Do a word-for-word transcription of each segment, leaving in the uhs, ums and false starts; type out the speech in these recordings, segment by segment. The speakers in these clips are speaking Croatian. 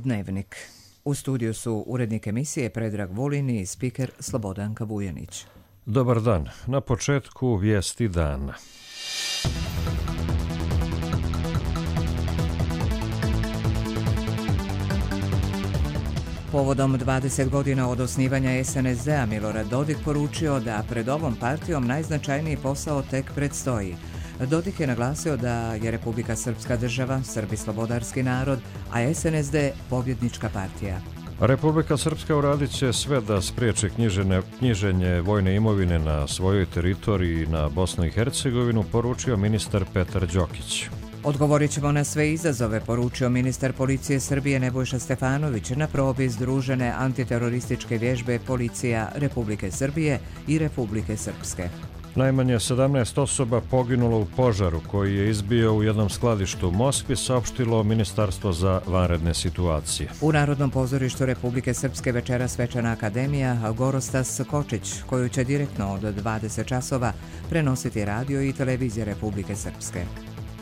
Dnevnik. U studiju su urednik emisije Predrag Vulin i spiker Slobodanka Vujanić. Dobar dan. Na početku vijesti dana. Povodom dvadeset godina od osnivanja es en es de-a Milorad Dodik poručio da pred ovom partijom najznačajniji posao tek predstoji. Dodik je naglasio da je Republika Srpska država, Srbi slobodarski narod, a es en es de pobjednička partija. Republika Srpska uradit će sve da spriječi knjižene, knjiženje vojne imovine na svojoj teritoriji na Bosnu i Hercegovinu, poručio ministar Petar Đokić. Odgovorit ćemo na sve izazove, poručio ministar policije Srbije Nebojša Stefanović na probi združene antiterorističke vježbe policija Republike Srbije i Republike Srpske. Najmanje sedamnaest osoba poginulo u požaru koji je izbio u jednom skladištu u Moskvi, saopštilo Ministarstvo za vanredne situacije. U Narodnom pozorištu Republike Srpske večera svečana akademija Gorostas Kočić, koju će direktno od dvadeset časova prenositi radio i televizija Republike Srpske.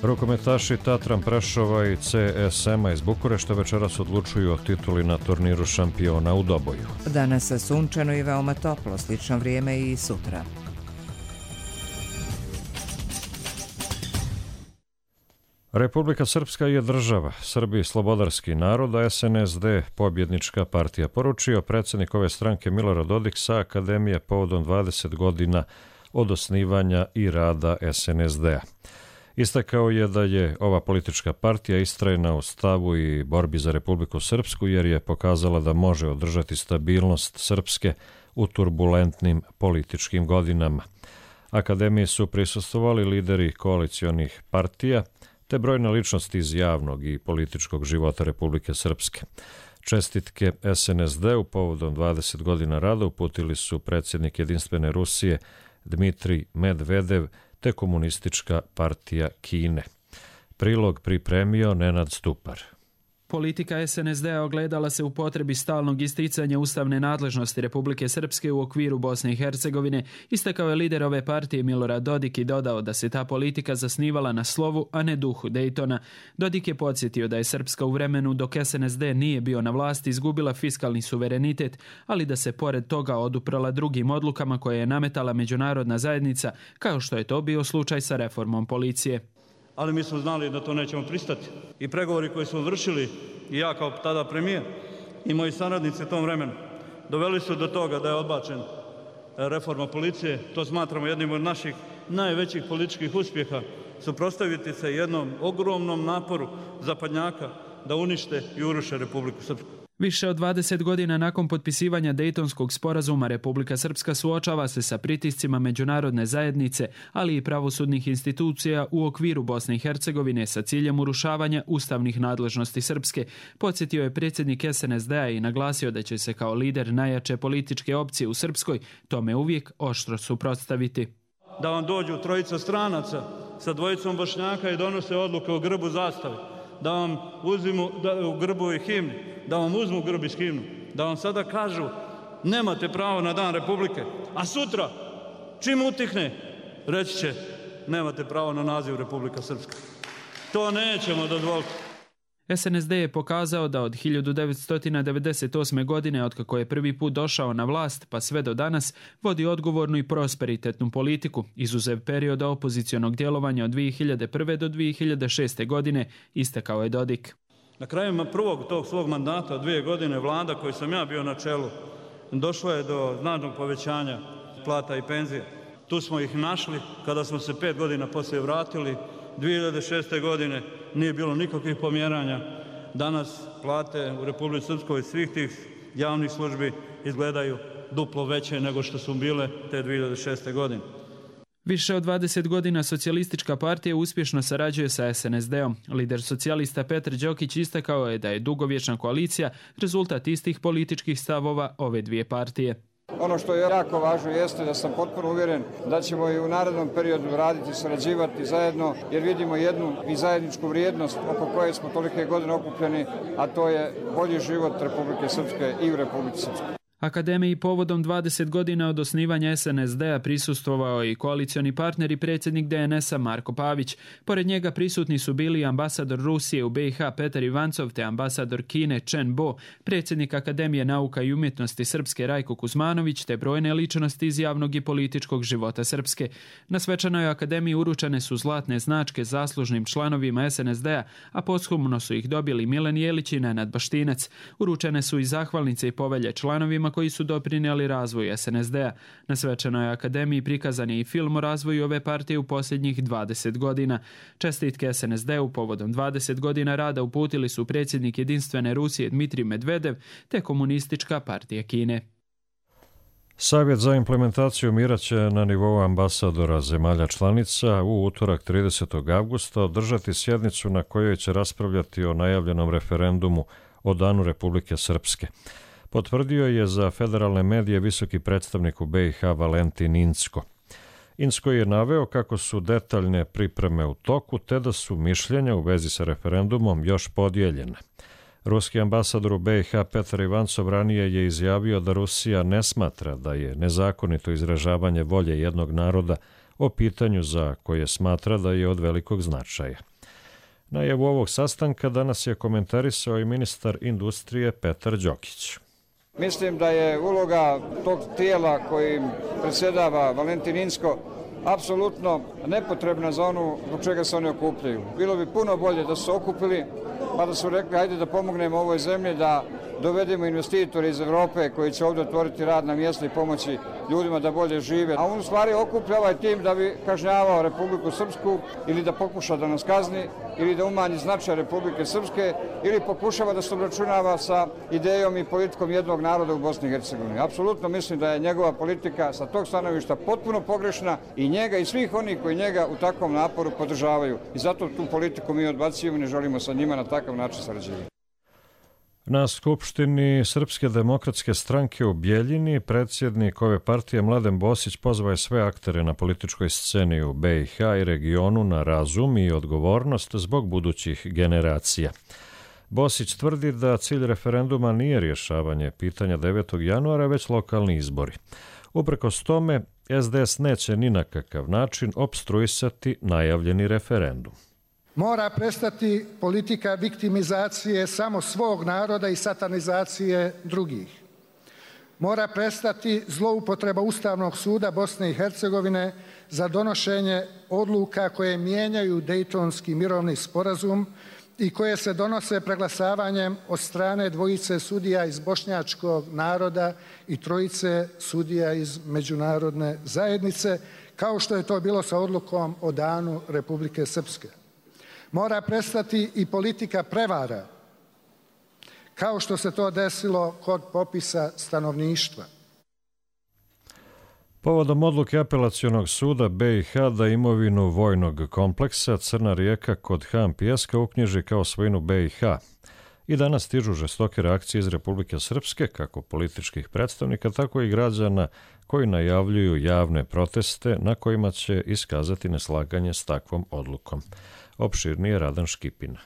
Rukometaši Tatran Prešova i ce es ema iz Bukurešta večeras odlučuju o tituli na turniru šampiona u Doboju. Danas sunčano i veoma toplo, slično vrijeme i sutra. Republika Srpska je država, Srbi slobodarski narod, a es en es de pobjednička partija, poručio predsjednik ove stranke Milorad Dodik sa akademije povodom dvadeset godina od osnivanja i rada es en es de-a. Istakao je da je ova politička partija istrajna u stavu i borbi za Republiku Srpsku jer je pokazala da može održati stabilnost Srpske u turbulentnim političkim godinama. Akademiji su prisustvovali lideri koalicionih partija te brojne ličnosti iz javnog i političkog života Republike Srpske. Čestitke es en es de-u povodom dvadeset godina rada uputili su predsjednik Jedinstvene Rusije Dmitrij Medvedev te Komunistička partija Kine. Prilog pripremio Nenad Stupar. Politika es en es de-a ogledala se u potrebi stalnog isticanja ustavne nadležnosti Republike Srpske u okviru Bosne i Hercegovine, istakao je lider ove partije Milorad Dodik i dodao da se ta politika zasnivala na slovu, a ne duhu Dejtona. Dodik je podsjetio da je Srpska u vremenu dok es en es de nije bio na vlasti izgubila fiskalni suverenitet, ali da se pored toga oduprala drugim odlukama koje je nametala međunarodna zajednica, kao što je to bio slučaj sa reformom policije. Ali mi smo znali da to nećemo pristati. I pregovori koji smo vršili, i ja kao tada premijer, i moji saradnici u tom vremenu, doveli su do toga da je odbačen reforma policije. To smatramo jednim od naših najvećih političkih uspjeha, suprotstaviti se jednom ogromnom naporu zapadnjaka da unište i uruše Republiku Srpsku. Više od dvadeset godina nakon potpisivanja Dejtonskog sporazuma Republika Srpska suočava se sa pritiscima međunarodne zajednice, ali i pravosudnih institucija u okviru Bosne i Hercegovine sa ciljem urušavanja ustavnih nadležnosti Srpske. Podsjetio je predsjednik es en es de-a i naglasio da će se kao lider najjače političke opcije u Srpskoj tome uvijek oštro suprotstaviti. Da vam dođu trojica stranaca sa dvojicom Bošnjaka i donose odluke o grbu zastave, da vam uzmu da, u grbu i himni, da vam uzmu grb i himnu, da vam sada kažu nemate pravo na dan Republike, a sutra čim utihne reći će nemate pravo na naziv Republika Srpska. To nećemo dozvoliti. es en es de je pokazao da od hiljadu devetsto devedeset osme. godine, otkako je prvi put došao na vlast, pa sve do danas, vodi odgovornu i prosperitetnu politiku, izuzev perioda opozicionog djelovanja od dvije hiljade prve. do dvije hiljade šeste. godine, istakao je Dodik. Na kraju prvog tog svog mandata, dvije godine, vlada koju sam ja bio na čelu, došlo je do značajnog povećanja plata i penzija. Tu smo ih našli kada smo se pet godina poslije vratili. dvije hiljade šeste. godine nije bilo nikakvih pomjeranja. Danas plate u Republici Srpskoj svih tih javnih službi izgledaju duplo veće nego što su bile te dvije hiljade šeste. godine. Više od dvadeset godina socijalistička partija uspješno sarađuje sa es en es de-om. Lider socijalista Petar Đokić istakao je da je dugovječna koalicija rezultat istih političkih stavova ove dvije partije. Ono što je jako važno jeste da sam potpuno uvjeren da ćemo i u narednom periodu raditi, sarađivati zajedno, jer vidimo jednu i zajedničku vrijednost oko koje smo tolike godine okupljeni, a to je bolji život Republike Srpske i u Republici Srpskoj. Akademiji povodom dvadeset godina od osnivanja es en es de-a prisustvovao i koalicioni partner i predsjednik de en es-a Marko Pavić. Pored njega prisutni su bili ambasador Rusije u be i ha Petar Ivancov te ambasador Kine Chen Bo, predsjednik Akademije nauka i umjetnosti Srpske Rajko Kuzmanović te brojne ličnosti iz javnog i političkog života Srpske. Na svečanoj akademiji uručene su zlatne značke zaslužnim članovima es en es de-a, a posthumno su ih dobili Milan Jelić i Nenad Baštinac. Uručene su i zahvalnice i povelje članovima koji su doprinijeli razvoju es en es de-a. Na svečanoj akademiji prikazan je i film o razvoju ove partije u posljednjih dvadeset godina. Čestitke es en es de-u povodom dvadeset godina rada uputili su predsjednik Jedinstvene Rusije Dmitrij Medvedev te Komunistička partija Kine. Savjet za implementaciju mira će na nivou ambasadora zemalja članica u utorak tridesetog avgusta održati sjednicu na kojoj će raspravljati o najavljenom referendumu o Danu Republike Srpske. Potvrdio je za federalne medije visoki predstavnik u be i ha Valentin Incko. Incko je naveo kako su detaljne pripreme u toku te da su mišljenja u vezi sa referendumom još podijeljene. Ruski ambasador u be i ha Petar Ivancov ranije je izjavio da Rusija ne smatra da je nezakonito izražavanje volje jednog naroda o pitanju za koje smatra da je od velikog značaja. Najavu ovog sastanka danas je komentarisao i ministar industrije Petar Đokić. Mislim da je uloga tog tijela kojim predsjedava Valentin Incko apsolutno nepotrebna za onu zbog čega se oni okupljaju. Bilo bi puno bolje da su se okupili pa da su rekli ajde da pomognemo ovoj zemlji, da dovedemo investitore iz Evrope koji će ovdje otvoriti radna mjesta i pomoći ljudima da bolje žive. A on u stvari okuplja ovaj tim da bi kažnjavao Republiku Srpsku ili da pokuša da nas kazni ili da umanji značaj Republike Srpske ili pokušava da se obračunava sa idejom i politikom jednog naroda u Bosni i Hercegovini. Apsolutno mislim da je njegova politika sa tog stanovišta potpuno pogrešna i njega i svih onih koji njega u takvom naporu podržavaju. I zato tu politiku mi odbacujemo i ne želimo sa njima na takav način sarađivati. Na Skupštini Srpske demokratske stranke u Bjeljini predsjednik ove partije Mladen Bosić pozvao je sve aktere na političkoj sceni u be i ha i regionu na razum i odgovornost zbog budućih generacija. Bosić tvrdi da cilj referenduma nije rješavanje pitanja devetog januara, već lokalni izbori. Uprkos tome, es de es neće ni na kakav način opstruisati najavljeni referendum. Mora prestati politika viktimizacije samo svog naroda i satanizacije drugih. Mora prestati zloupotreba Ustavnog suda Bosne i Hercegovine za donošenje odluka koje mijenjaju Dejtonski mirovni sporazum i koje se donose preglasavanjem od strane dvojice sudija iz bošnjačkog naroda i trojice sudija iz međunarodne zajednice, kao što je to bilo sa odlukom o Danu Republike Srpske. Mora prestati i politika prevara, kao što se to desilo kod popisa stanovništva. Povodom odluke Apelacionog suda be i ha da imovinu vojnog kompleksa Crna Rijeka kod Han Pijeska uknjiži kao svojinu be i ha. I danas stižu žestoke reakcije iz Republike Srpske, kako političkih predstavnika, tako i građana koji najavljuju javne proteste na kojima će iskazati neslaganje s takvom odlukom. Opširnije Radan Škipina.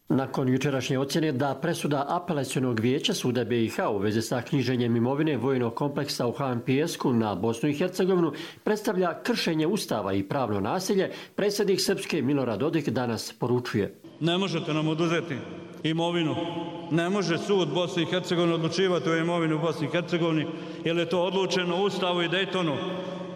Nakon jučerašnje ocjene da presuda Apelacionog vijeća suda be i ha u vezi sa knjiženjem imovine vojnog kompleksa u Han Pijesku na Bosnu i Hercegovinu predstavlja kršenje Ustava i pravno nasilje, predsjednik Srpske Milorad Dodik danas poručuje. Ne možete nam oduzeti imovinu. Ne može sud Bosne i Hercegovine odlučivati o imovini u Bosni i Hercegovini, jer je to odlučeno u Ustavu i Dejtonu.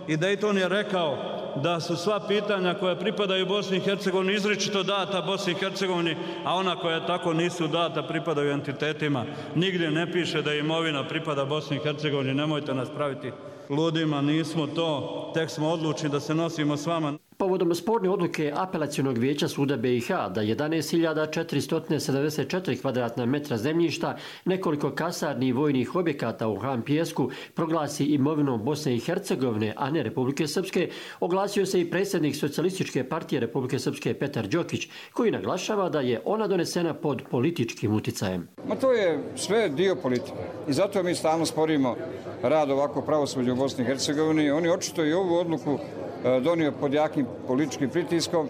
I Dejton je rekao da su sva pitanja koja pripadaju Bosni i Hercegovini izričito data Bosni i Hercegovini, a ona koja tako nisu data pripadaju entitetima. Nigdje ne piše da imovina pripada Bosni i Hercegovini, nemojte nas praviti ludima, nismo to, tek smo odlučni da se nosimo s vama. Povodom sporne odluke Apelacionog vijeća suda be i ha da jedanaest hiljada četiristo sedamdeset četiri kvadratna metra zemljišta, nekoliko kasarni i vojnih objekata u Han Pijesku proglasi imovinom Bosne i Hercegovine, a ne Republike Srpske, oglasio se i predsjednik Socijalističke partije Republike Srpske Petar Đokić, koji naglašava da je ona donesena pod političkim uticajem. Ma to je sve dio politike i zato mi stalno sporimo rad ovako pravosuđa u Bosni i Hercegovini. Oni očito i ovu odluku donio pod jakim političkim pritiskom,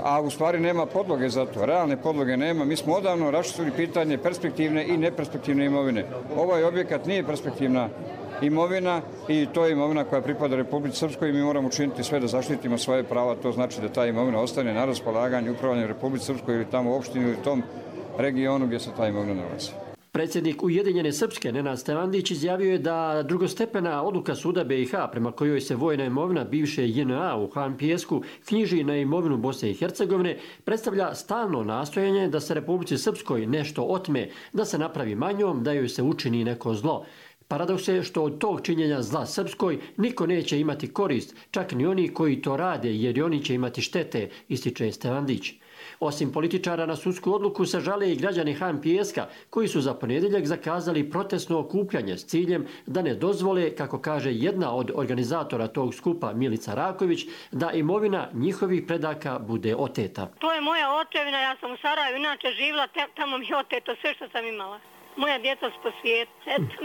a u stvari nema podloge za to, realne podloge nema. Mi smo odavno raščistili pitanje perspektivne i neperspektivne imovine. Ovaj objekat nije perspektivna imovina i to je imovina koja pripada Republici Srpskoj i mi moramo učiniti sve da zaštitimo svoje prava. To znači da ta imovina ostane na raspolaganju upravljanju Republici Srpskoj ili tamo u opštini ili tom regionu gdje se ta imovina nalazi. Predsjednik Ujedinjene Srpske Nenad Stevandić izjavio je da drugostepena odluka suda B i H prema kojoj se vojna imovina bivše J N A u Han Pijesku knjiži na imovinu Bosne i Hercegovine predstavlja stalno nastojanje da se Republici Srpskoj nešto otme, da se napravi manjom, da joj se učini neko zlo. Paradoks je što od tog činjenja zla Srpskoj niko neće imati korist, čak ni oni koji to rade, jer i oni će imati štete, ističe Stevandić. Osim političara na sudsku odluku se žale i građani Han Pijeska koji su za ponedjeljak zakazali protestno okupljanje s ciljem da ne dozvole, kako kaže jedna od organizatora tog skupa Milica Raković, da imovina njihovih predaka bude oteta. To je moja očevina, ja sam u Sarajevu inače živjela, tamo mi je oteto sve što sam imala. Moja djeca su po svijetu.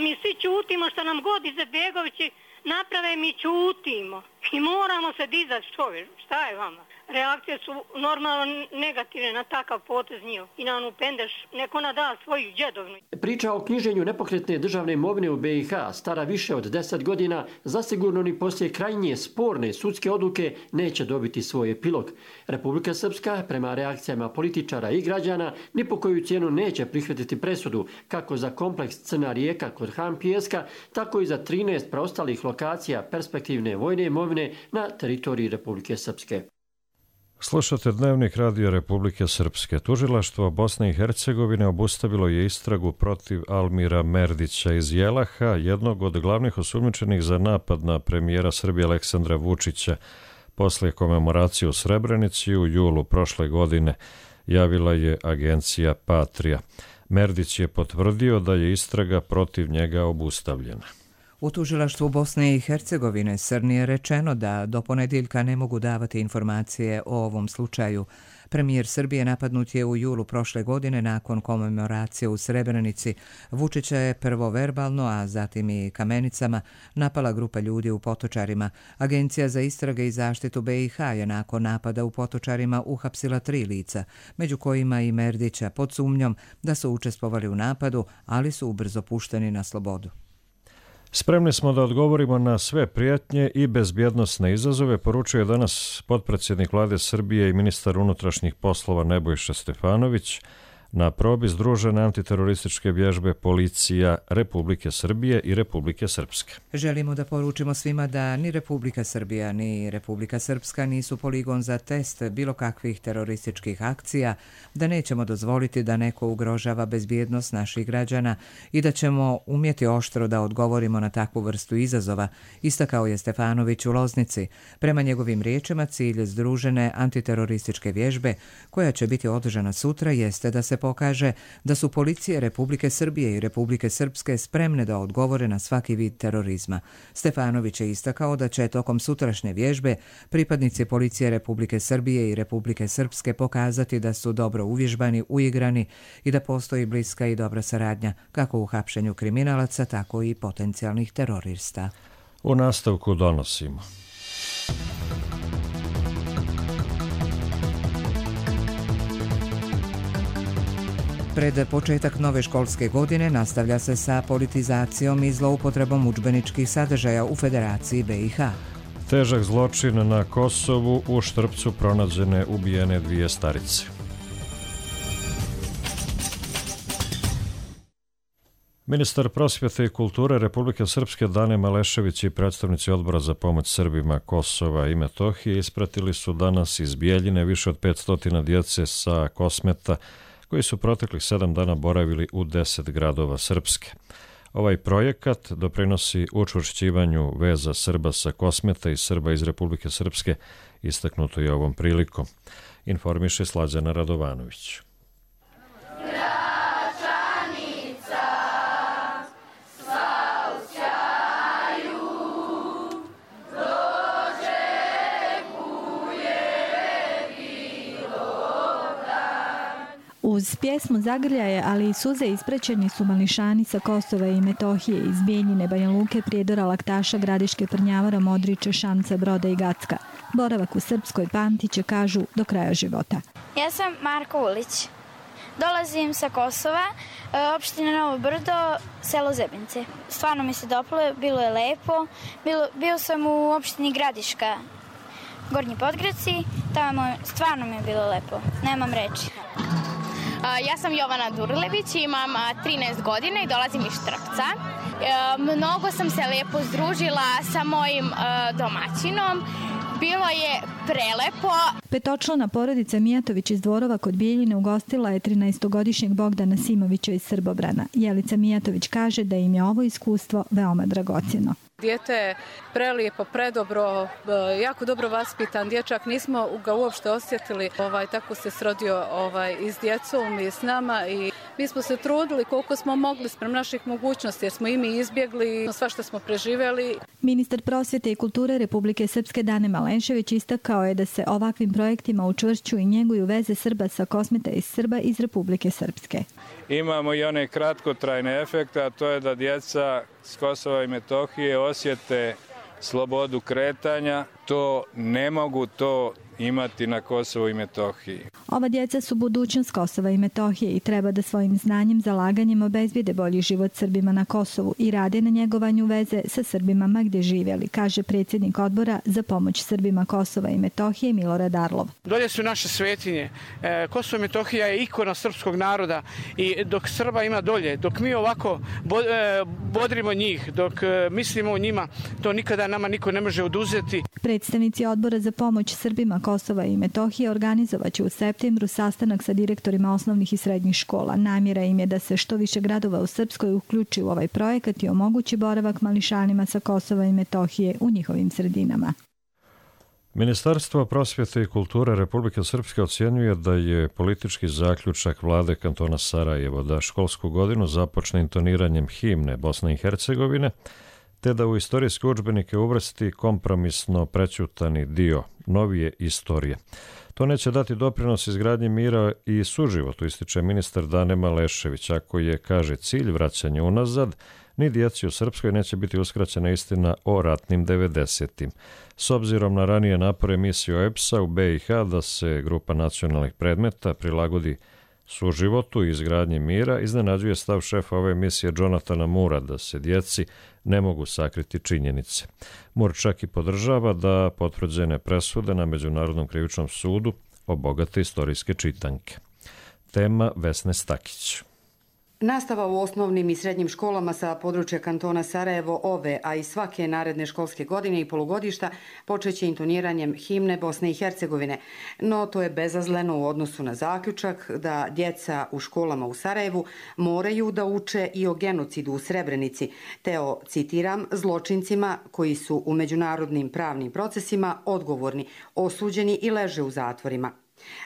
Mi svi čutimo što nam god Izetbegovići naprave, mi čutimo. I moramo se dizati, što je, šta je vama? Reakcije su normalno negativne na takav potez njih. I na onu pendeš, neko nada svoju djedovnu. Priča o knjiženju nepokretne državne imovine u B i H, stara više od deset godina, zasigurno ni poslije krajnje sporne sudske odluke neće dobiti svoj epilog. Republika Srpska, prema reakcijama političara i građana, ni po koju cijenu neće prihvatiti presudu, kako za kompleks Crna Rijeka kod Han Pijeska, tako i za trinaest preostalih lokacija perspektivne vojne imovine na teritoriji Republike Srpske. Slušate Dnevnik Radio Republike Srpske. Tužilaštvo Bosne i Hercegovine obustavilo je istragu protiv Almira Merdića iz Jelaha, jednog od glavnih osumnjičenih za napad na premijera Srbije Aleksandra Vučića posle komemoracije u Srebrenici u julu prošle godine, javila je agencija Patria. Merdić je potvrdio da je istraga protiv njega obustavljena. U tužilaštvu Bosne i Hercegovine Srni je rečeno da do ponedjeljka ne mogu davati informacije o ovom slučaju. Premijer Srbije napadnut je u julu prošle godine nakon komemoracije u Srebrenici. Vučića je prvo verbalno, a zatim i kamenicama napala grupa ljudi u Potočarima. Agencija za istrage i zaštitu B i H je nakon napada u Potočarima uhapsila tri lica, među kojima i Merdića, pod sumnjom da su učestvovali u napadu, ali su ubrzo pušteni na slobodu. Spremni smo da odgovorimo na sve prijetnje i bezbjednosne izazove, poručuje danas potpredsjednik Vlade Srbije i ministar unutrašnjih poslova Nebojša Stefanović na probi združene antiterorističke vježbe policija Republike Srbije i Republike Srpske. Želimo da poručimo svima da ni Republika Srbija ni Republika Srpska nisu poligon za test bilo kakvih terorističkih akcija, da nećemo dozvoliti da neko ugrožava bezbjednost naših građana i da ćemo umjeti oštro da odgovorimo na takvu vrstu izazova, istakao je Stefanović u Loznici. Prema njegovim riječima, cilj združene antiterorističke vježbe, koja će biti održana sutra, jeste da se pokaže da su policije Republike Srbije i Republike Srpske spremne da odgovore na svaki vid terorizma. Stefanović je istakao da će tokom sutrašnje vježbe pripadnici policije Republike Srbije i Republike Srpske pokazati da su dobro uvježbani, uigrani i da postoji bliska i dobra saradnja kako u hapšenju kriminalaca, tako i potencijalnih terorista. U nastavku donosimo. Pred početak nove školske godine nastavlja se sa politizacijom i zloupotrebom udžbeničkih sadržaja u Federaciji B i H. Težak zločin na Kosovu, u Štrpcu pronađene ubijene dvije starice. Ministar prosvjete i kulture Republike Srpske Dane Malešević i predstavnici Odbora za pomoć Srbima Kosova i Metohije ispratili su danas iz Bijeljine više od petsto djece sa Kosmeta koji su proteklih sedam dana boravili u deset gradova Srpske. Ovaj projekat doprinosi učvršćivanju veza Srba sa Kosmeta i Srba iz Republike Srpske, istaknuto je ovom prilikom. Informiše Slađana Radovanović. Uz pjesmu Zagrljaje, ali i suze ispraćeni su mališani sa Kosova i Metohije, iz Bijeljine, Banja Luke, Prijedora, Laktaša, Gradiške, Prnjavora, Modriče, Šamca, Broda i Gacka. boravak u Srpskoj pamtiće, kažu, do kraja života. Ja sam Marko Ulić. Dolazim sa Kosova, opština Novo Brdo, selo Zebince. Stvarno mi se dopalo, bilo je lepo. Bilo, bio sam u opštini Gradiška, Gornji Podgradci, tamo stvarno mi je bilo lepo. Nemam reči. Ja sam Jovana Durlević, imam trinaest godina i dolazim iz Štrpca. Mnogo sam se lepo združila sa mojim domaćinom. Bilo je prelepo. Petočlana porodica Mijatović iz Dvorova kod Bijeljine ugostila je trinaestogodišnjeg Bogdana Simovića iz Srbobrana. Jelica Mijatović kaže da im je ovo iskustvo veoma dragocjeno. Dijete je prelijepo, predobro, jako dobro vaspitan dječak. Nismo ga uopšte osjetili. Ovaj, tako se srodio ovaj, i s djecom i s nama. I mi smo se trudili koliko smo mogli sprem naših mogućnosti jer smo i mi izbjegli sva što smo preživjeli. Ministar prosvjete i kulture Republike Srpske Dane Malešević istakao je da se ovakvim projektima učvršćuju i njeguju veze Srba sa Kosmeta iz Srba iz Republike Srpske. Imamo i one kratkotrajne efekte, a to je da djeca s Kosova i Metohije osjete slobodu kretanja. To ne mogu to imati na Kosovu i Metohiji. Ova djeca su budućnost Kosova i Metohije i treba da svojim znanjem, zalaganjem obezbijede bolji život Srbima na Kosovu i rade na njegovanju veze sa Srbima ma gdje živjeli, kaže predsjednik odbora za pomoć Srbima Kosova i Metohije Milorad Arlov. Dolje su naše svetinje. Kosovo i Metohija je ikona srpskog naroda i dok Srba ima dolje, dok mi ovako bodrimo njih, dok mislimo o njima, to nikada nama niko ne može oduzeti. Predstavnici odbora za pomoć Srbima Kosova i Metohije organizovat će u septembru sastanak sa direktorima osnovnih i srednjih škola. Namjera im je da se što više gradova u Srpskoj uključi u ovaj projekat i omogući boravak mališanima sa Kosova i Metohije u njihovim sredinama. Ministarstvo prosvjete i kulture Republike Srpske ocjenjuje da je politički zaključak vlade kantona Sarajevo da školsku godinu započne intoniranjem himne Bosne i Hercegovine, te da u istorijske udžbenike uvrsti kompromisno prećutani dio novije istorije. To neće dati doprinos izgradnji mira i suživotu, ističe ministar Dane Malešević. Ako je, kaže, cilj vraćanje unazad, ni djeci u Srpskoj neće biti uskraćena istina o ratnim devedesetim. S obzirom na ranije napore misije O E B S A u B i H da se grupa nacionalnih predmeta prilagodi suživotu i izgradnji mira, iznenađuje stav šefa ove misije Jonathana Moora da se djeci ne mogu sakriti činjenice. Moore čak i podržava da potvrđene presude na Međunarodnom krivičnom sudu obogate istorijske čitanke. Tema Vesne Stakić. Nastava u osnovnim i srednjim školama sa područja kantona Sarajevo ove, a i svake naredne školske godine i polugodišta počeće intoniranjem himne Bosne i Hercegovine. No to je bezazleno u odnosu na zaključak da djeca u školama u Sarajevu moraju da uče i o genocidu u Srebrenici, te o, citiram, zločincima koji su u međunarodnim pravnim procesima odgovorni, osuđeni i leže u zatvorima.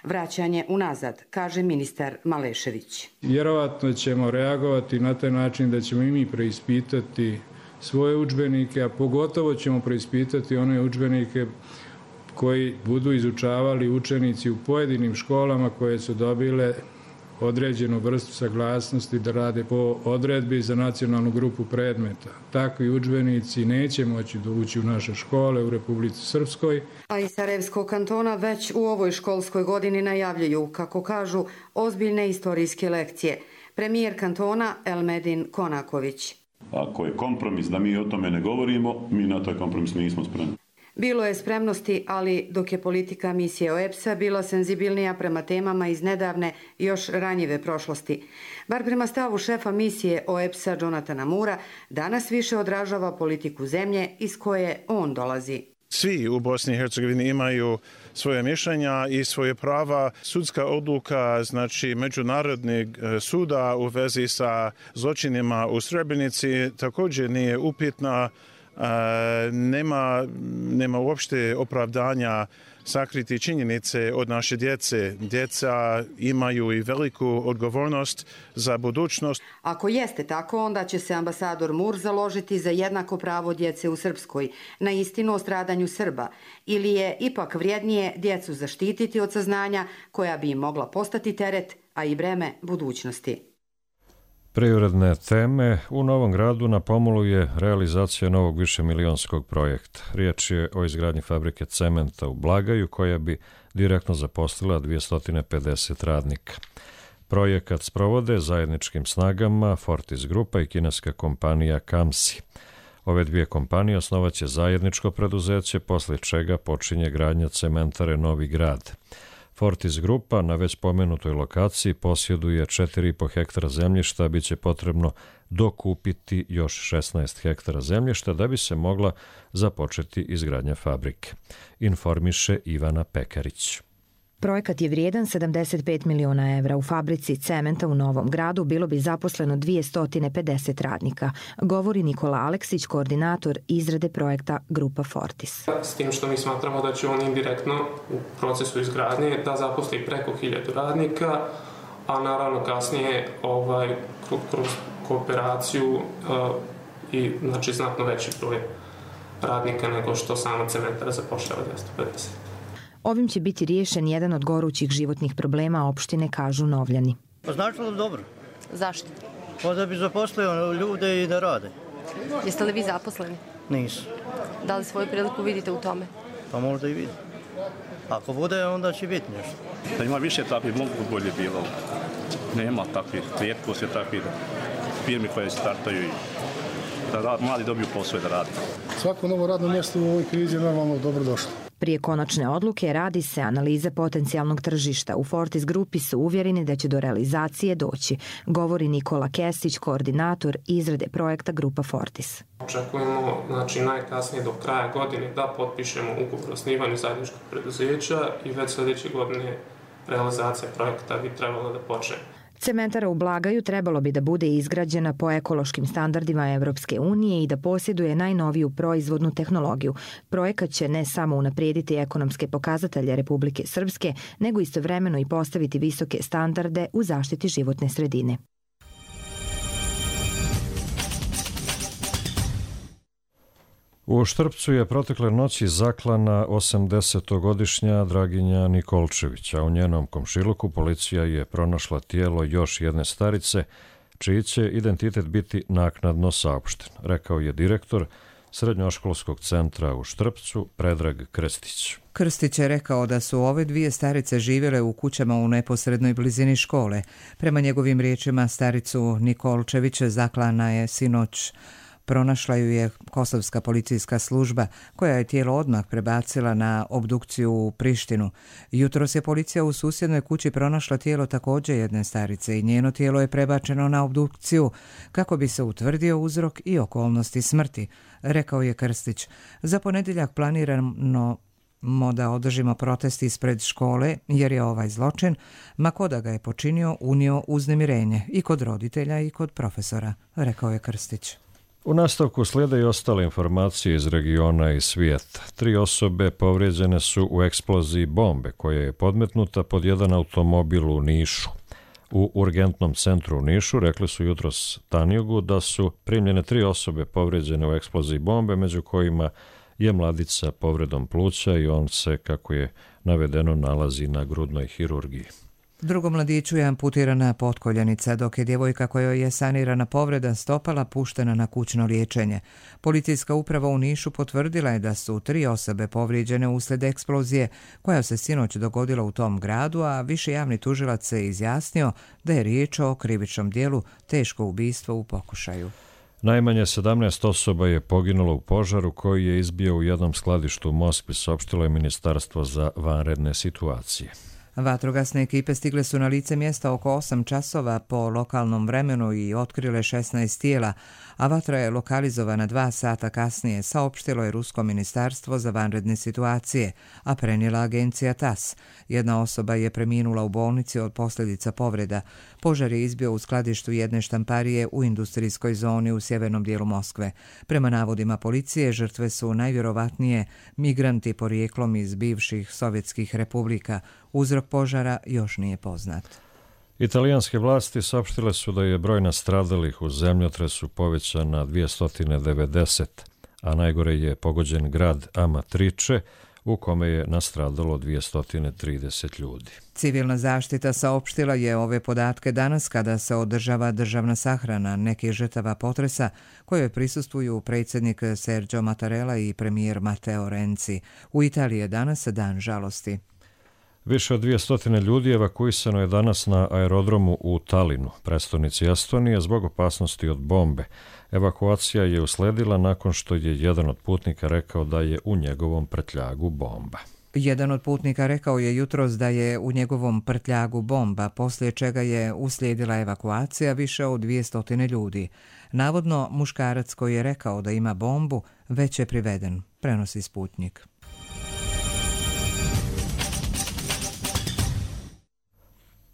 Vraćanje unazad, kaže ministar Malešević. Vjerovatno ćemo reagovati na taj način da ćemo i mi preispitati svoje udžbenike, a pogotovo ćemo preispitati one udžbenike koji budu izučavali učenici u pojedinim školama koje su dobile određenu vrstu saglasnosti da rade po odredbi za nacionalnu grupu predmeta. Takvi udžbenici neće moći doći u naše škole u Republici Srpskoj. A iz Sarajevskog kantona već u ovoj školskoj godini najavljuju, kako kažu, ozbiljne istorijske lekcije. Premijer kantona Elmedin Konaković. Ako je kompromis da mi o tome ne govorimo, mi na taj kompromis nismo spremni. Bilo je spremnosti, ali dok je politika misije O E B S A bila senzibilnija prema temama iz nedavne, još ranjive prošlosti. Bar prema stavu šefa misije O E B S A Jonathana Moora, danas više odražava politiku zemlje iz koje on dolazi. Svi u Bosni i Hercegovini imaju svoje mišljenja i svoje prava. Sudska odluka, znači Međunarodnog suda u vezi sa zločinima u Srebrenici također nije upitna. Uh, nema, nema uopšte opravdanja sakriti činjenice od naše djece. Djeca imaju i veliku odgovornost za budućnost. Ako jeste tako, onda će se ambasador Moore založiti za jednako pravo djece u Srpskoj, na istinu o stradanju Srba, ili je ipak vrijednije djecu zaštititi od saznanja koja bi im mogla postati teret, a i breme budućnosti. Privredne teme. U Novom Gradu na pomolu je realizacija novog višemilionskog projekta. Riječ je o izgradnji fabrike cementa u Blagaju koja bi direktno zaposlila dvjesto pedeset radnika. Projekat sprovode zajedničkim snagama Fortis Grupa i kineska kompanija Kamsi. Ove dvije kompanije osnovaće zajedničko preduzeće, poslije čega počinje gradnja cementare Novi Grad. Fortis Grupa na već pomenutoj lokaciji posjeduje četiri i po hektara zemljišta, bit će potrebno dokupiti još šesnaest hektara zemljišta da bi se mogla započeti izgradnja fabrike, informiše Ivana Pekarić. Projekat je vrijedan sedamdeset pet miliona evra. U fabrici cementa u Novom Gradu bilo bi zaposleno dvjesto pedeset radnika, govori Nikola Aleksić, koordinator izrade projekta Grupa Fortis. S tim što mi smatramo da će on indirektno u procesu izgradnje da zaposli preko hiljadu radnika, a naravno kasnije ovaj, kroz kooperaciju uh, i znači znatno veći broj radnika nego što sama cementara zapošljava dvjesto pedeset. Ovim će biti riješen jedan od gorućih životnih problema opštine, kažu Novljani. Pa značilo dobro. Zašto? Pa da bi zaposlio ljude i da rade. Jeste li vi zaposleni? Nisu. Da li svoju priliku vidite u tome? Pa možda i vidim. Ako bude, onda će biti nešto. Da ima više takvih, mogu bolje bilo. Nema takvih, rijetko se takvih firmi koje startaju i da mladi dobiju posao da rade. Svako novo radno mjesto u ovoj krizi je normalno dobro došlo. Prije konačne odluke radi se analiza potencijalnog tržišta. U Fortis Grupi su uvjereni da će do realizacije doći, govori Nikola Kesić, koordinator izrade projekta Grupa Fortis. Očekujemo znači, najkasnije do kraja godine da potpišemo ugovor o osnivanju zajedničkog preduzeća i već sljedeće godine realizacija projekta bi trebala da počne. Cementara u Blagaju trebalo bi da bude izgrađena po ekološkim standardima Evropske unije i da posjeduje najnoviju proizvodnu tehnologiju. Projekat će ne samo unaprijediti ekonomske pokazatelje Republike Srpske, nego istovremeno i postaviti visoke standarde u zaštiti životne sredine. U Štrpcu je protekle noći zaklana osamdesetogodišnja Draginja Nikolčević, a u njenom komšiluku policija je pronašla tijelo još jedne starice, čiji će identitet biti naknadno saopšten, rekao je direktor Srednjoškolskog centra u Štrpcu Predrag Krstić. Krstić je rekao da su ove dvije starice živjele u kućama u neposrednoj blizini škole. Prema njegovim riječima, staricu Nikolčević zaklana je sinoć. Pronašla ju je kosovska policijska služba, koja je tijelo odmah prebacila na obdukciju u Prištinu. Jutros je policija u susjednoj kući pronašla tijelo također jedne starice i njeno tijelo je prebačeno na obdukciju kako bi se utvrdio uzrok i okolnosti smrti, rekao je Krstić. Za ponedjeljak planirano da održimo protest ispred škole jer je ovaj zločin, ma ko da ga je počinio, unio uznemirenje i kod roditelja i kod profesora, rekao je Krstić. U nastavku slijede i ostale informacije iz regiona i svijeta. Tri osobe povrijeđene su u eksploziji bombe koja je podmetnuta pod jedan automobil u Nišu. U urgentnom centru u Nišu rekli su jutros Tanjugu da su primljene tri osobe povrijeđene u eksploziji bombe, među kojima je mladić sa povredom pluća i on se, kako je navedeno, nalazi na grudnoj hirurgiji. Drugom mladiću je amputirana potkoljenica, dok je djevojka kojoj je sanirana povreda stopala puštena na kućno liječenje. Policijska uprava u Nišu potvrdila je da su tri osobe povrijeđene uslijed eksplozije koja se sinoć dogodila u tom gradu, a viši javni tužilac se izjasnio da je riječ o krivičnom dijelu teško ubistvo u pokušaju. Najmanje sedamnaest osoba je poginulo u požaru koji je izbio u jednom skladištu u Moskvi, saopštilo je Ministarstvo za vanredne situacije. Vatrogasne ekipe stigle su na lice mjesta oko osam časova po lokalnom vremenu i otkrile šesnaest tijela, a vatra je lokalizovana dva sata kasnije, saopštilo je Rusko ministarstvo za vanredne situacije, a prenijela agencija TAS. Jedna osoba je preminula u bolnici od posljedica povreda. Požar je izbio u skladištu jedne štamparije u industrijskoj zoni u sjevernom dijelu Moskve. Prema navodima policije, žrtve su najvjerovatnije migranti porijeklom iz bivših sovjetskih republika. Uzrok požara još nije poznat. Italijanske vlasti saopštile su da je broj nastradalih u zemljotresu povećan na dvjesto devedeset, a najgore je pogođen grad Amatrice u kome je nastradalo dvjesto trideset ljudi. Civilna zaštita saopštila je ove podatke danas kada se održava državna sahrana nekih žrtava potresa kojoj prisustvuju predsjednik Sergio Mattarella i premijer Matteo Renzi. U Italiji je danas dan žalosti. Više od dvjesto ljudi evakuisano je danas na aerodromu u Talinu, prestonici Estonije, zbog opasnosti od bombe. Evakuacija je usledila nakon što je jedan od putnika rekao da je u njegovom prtljagu bomba. Jedan od putnika rekao je jutros da je u njegovom prtljagu bomba, poslije čega je uslijedila evakuacija više od dvjesto ljudi. Navodno, muškarac koji je rekao da ima bombu već je priveden, prenosi Sputnik.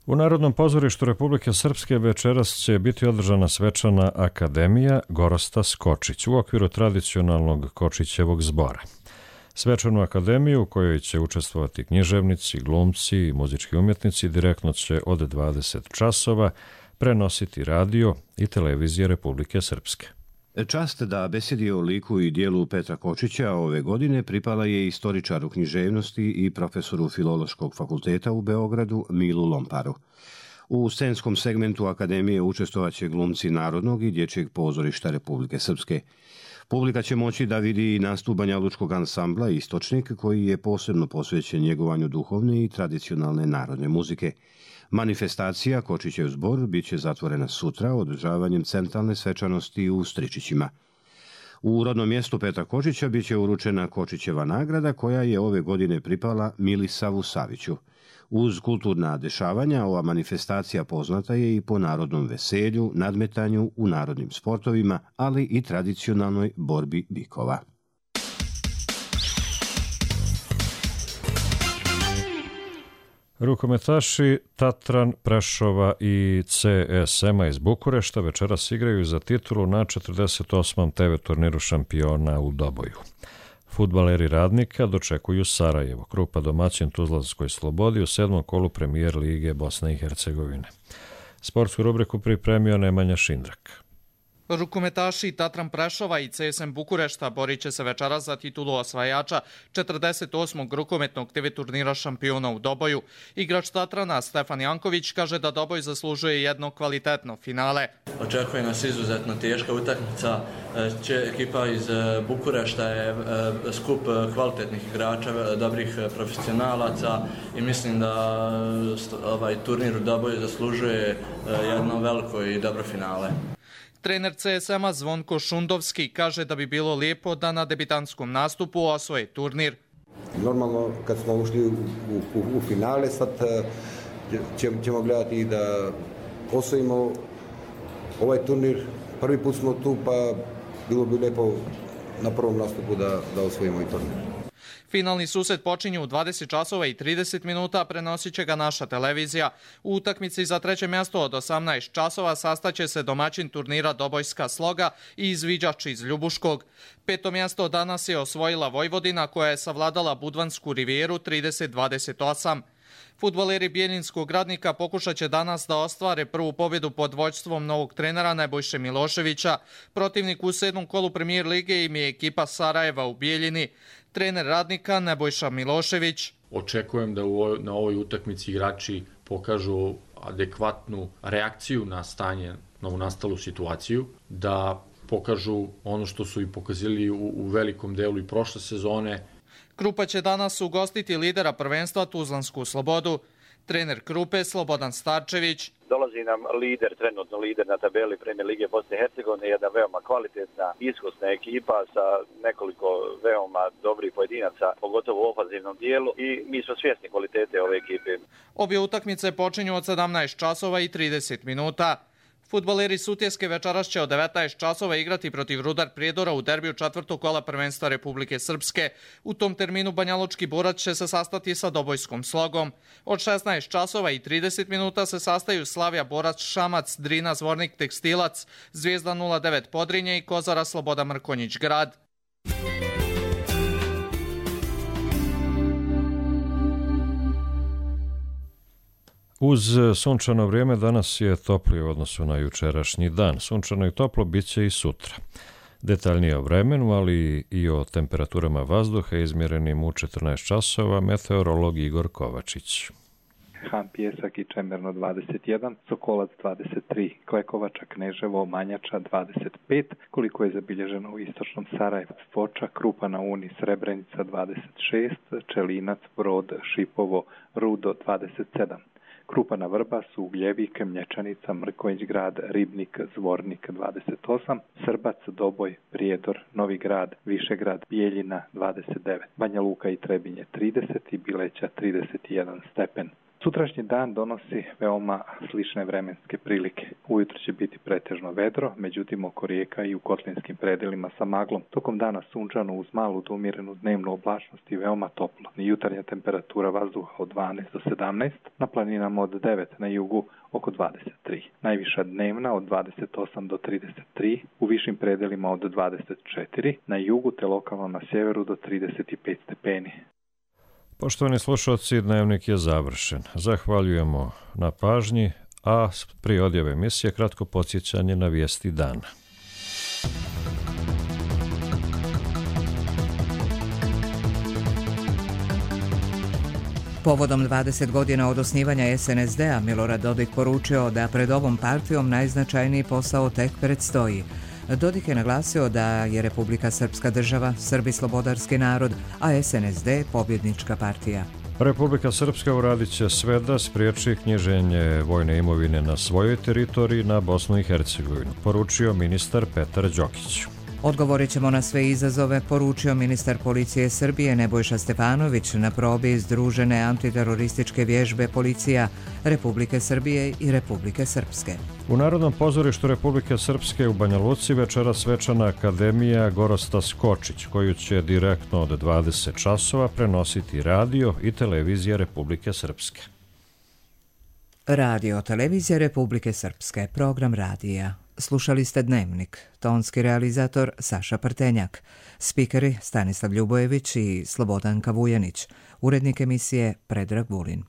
U Narodnom pozorištu Republike Srpske večeras će biti održana svečana akademija Gorosta Skočić u okviru tradicionalnog Kočićevog zbora. Svečanu akademiju u kojoj će učestvovati književnici, glumci i muzički umjetnici direktno će od dvadeset časova prenositi radio i televizije Republike Srpske. Čast da besedi o liku i dijelu Petra Kočića ove godine pripala je istoričaru književnosti i profesoru Filološkog fakulteta u Beogradu Milu Lomparu. U scenskom segmentu akademije učestvovaće glumci Narodnog i Dječjeg pozorišta Republike Srpske. Publika će moći da vidi nastup banjalučkog ansambla Istočnik, koji je posebno posvećen njegovanju duhovne i tradicionalne narodne muzike. Manifestacija Kočićev zbor bit će zatvorena sutra održavanjem centralne svečanosti u Stričićima. U rodnom mjestu Petra Kočića bit će uručena Kočićeva nagrada koja je ove godine pripala Milisavu Saviću. Uz kulturna dešavanja, ova manifestacija poznata je i po narodnom veselju, nadmetanju u narodnim sportovima, ali i tradicionalnoj borbi bikova. Rukometaši Tatran, Prešova i C S M-a iz Bukurešta večeras igraju za titulu na četrdeset osmom te ve turniru šampiona u Doboju. Fudbaleri Radnika dočekuju Sarajevo, Krupa domaćin Tuzlanskoj Slobodi u sedmom kolu premijer lige Bosne i Hercegovine. Sportsku rubriku pripremio Nemanja Šindrak. Rukometaši Tatran Prešova i C S M Bukurešta borit će se večeras za titulu osvajača četrdeset osmog rukometnog te ve turnira šampiona u Doboju. Igrač Tatrana Stefan Janković kaže da Doboj zaslužuje jedno kvalitetno finale. Očekuje nas izuzetno teška utakmica. Ekipa iz Bukurešta je skup kvalitetnih igrača, dobrih profesionalaca i mislim da ovaj turnir u Doboju zaslužuje jedno veliko i dobro finale. Trener C S M-a Zvonko Šundovski kaže da bi bilo lijepo da na debitantskom nastupu osvoje turnir. Normalno, kad smo ušli u, u, u finale, sad ćemo gledati da osvojimo ovaj turnir. Prvi put smo tu, pa bilo bi lijepo na prvom nastupu da, da osvojimo i turnir. Finalni susret počinje u dvadeset časova i trideset minuta, prenosit će ga naša televizija. U utakmici za treće mjesto od osamnaest časova sastaće se domaćin turnira Dobojska Sloga i izviđač iz Ljubuškog. Peto mjesto danas je osvojila Vojvodina koja je savladala Budvansku rivijeru trideset dvadeset osam. Fudbaleri Bijeljinskog Radnika pokušat će danas da ostvare prvu pobjedu pod vođstvom novog trenera Nebojše Miloševića. Protivnik u sedmom kolu premijer lige im je ekipa Sarajeva u Bijeljini. Trener Radnika Nebojša Milošević. Očekujem da u ovoj, na ovoj utakmici igrači pokažu adekvatnu reakciju na stanje, na nastalu situaciju, da pokažu ono što su i pokazali u, u velikom delu i prošle sezone. Krupa će danas ugostiti lidera prvenstva Tuzlansku Slobodu. Trener Krupe Slobodan Starčević. Dolazi nam lider, trenutno lider na tabeli Premijer lige Bosne i Hercegovine, jedna veoma kvalitetna, iskusna ekipa sa nekoliko veoma dobrih pojedinaca, pogotovo u ofanzivnom dijelu i mi smo svjesni kvalitete ove ekipe. Obje utakmice počinju od sedamnaest časova i trideset minuta. Fudbaleri Sutjeske večeras će od devetnaest časova igrati protiv Rudar Prijedora u derbiju četvrtog kola prvenstva Republike Srpske. U tom terminu banjalučki borac će se sastati sa Dobojskom Slogom. Od šesnaest časova i trideset minuta se sastaju Slavija Borac Šamac, Drina Zvornik Tekstilac, Zvijezda nula devet Podrinje i Kozara Sloboda Mrkonjić Grad. Uz sunčano vrijeme danas je toplije u odnosu na jučerašnji dan. Sunčano i toplo bit će i sutra. Detaljnije o vremenu, ali i o temperaturama vazduha izmjerenim u četrnaest časova, meteorolog Igor Kovačić. Han Pijesak i Čemerno dvadeset jedan, Sokolac dvadeset tri, Klekovača, Kneževo, Manjača dvadeset pet, koliko je zabilježeno u istočnom Sarajevu, Foča, Krupa na Uni, Srebrenica dvadeset šest, Čelinac, Brod, Šipovo, Rudo dvadeset sedam. Krupa na Vrbas, Ugljevik, Mlječanica, Mrkonjić grad, Ribnik, Zvornik dvadeset osam, Srbac, Doboj, Prijedor, Novi grad, Višegrad, Bijeljina dvadeset devet, Banja Luka i Trebinje trideset i Bileća trideset jedan stepen. Sutrašnji dan donosi veoma slične vremenske prilike. Ujutro će biti pretežno vedro, međutim oko rijeka i u kotlinskim predelima sa maglom. Tokom dana sunčano uz malu do umjerenu dnevnu oblačnost i veoma toplo. Jutarnja temperatura vazduha od dvanaest do sedamnaest, na planinama od devet, na jugu oko dvadeset tri. Najviša dnevna od dvadeset osam do trideset tri, u višim predelima od dvadeset četiri, na jugu te lokalno na sjeveru do trideset pet stepeni. Poštovani slušalci, dnevnik je završen. Zahvaljujemo na pažnji, a prije odjave emisije kratko podsjećanje na vijesti dana. Povodom dvadeset godina od osnivanja es en es de-a Milorad Dodik poručio da pred ovom partijom najznačajniji posao tek predstoji. Dodik je naglasio da je Republika Srpska država, Srbi slobodarski narod, a es en es de pobjednička partija. Republika Srpska uradit će sve da spriječi knjiženje vojne imovine na svojoj teritoriji na Bosnu i Hercegovinu, poručio ministar Petar Đokić. Odgovorit ćemo na sve izazove, poručio ministar policije Srbije Nebojša Stefanović na probi združene antiterorističke vježbe policija Republike Srbije i Republike Srpske. U Narodnom pozorištu Republike Srpske u Banja Luci večera svečana akademija Gorosta Skočić, koju će direktno od dvadeset časova prenositi radio i televizija Republike Srpske. Radio televizija Republike Srpske, program radija. Slušali ste Dnevnik, tonski realizator Saša Prtenjak, spikeri Stanislav Ljubojević i Slobodanka Vujanić, urednik emisije Predrag Vulin.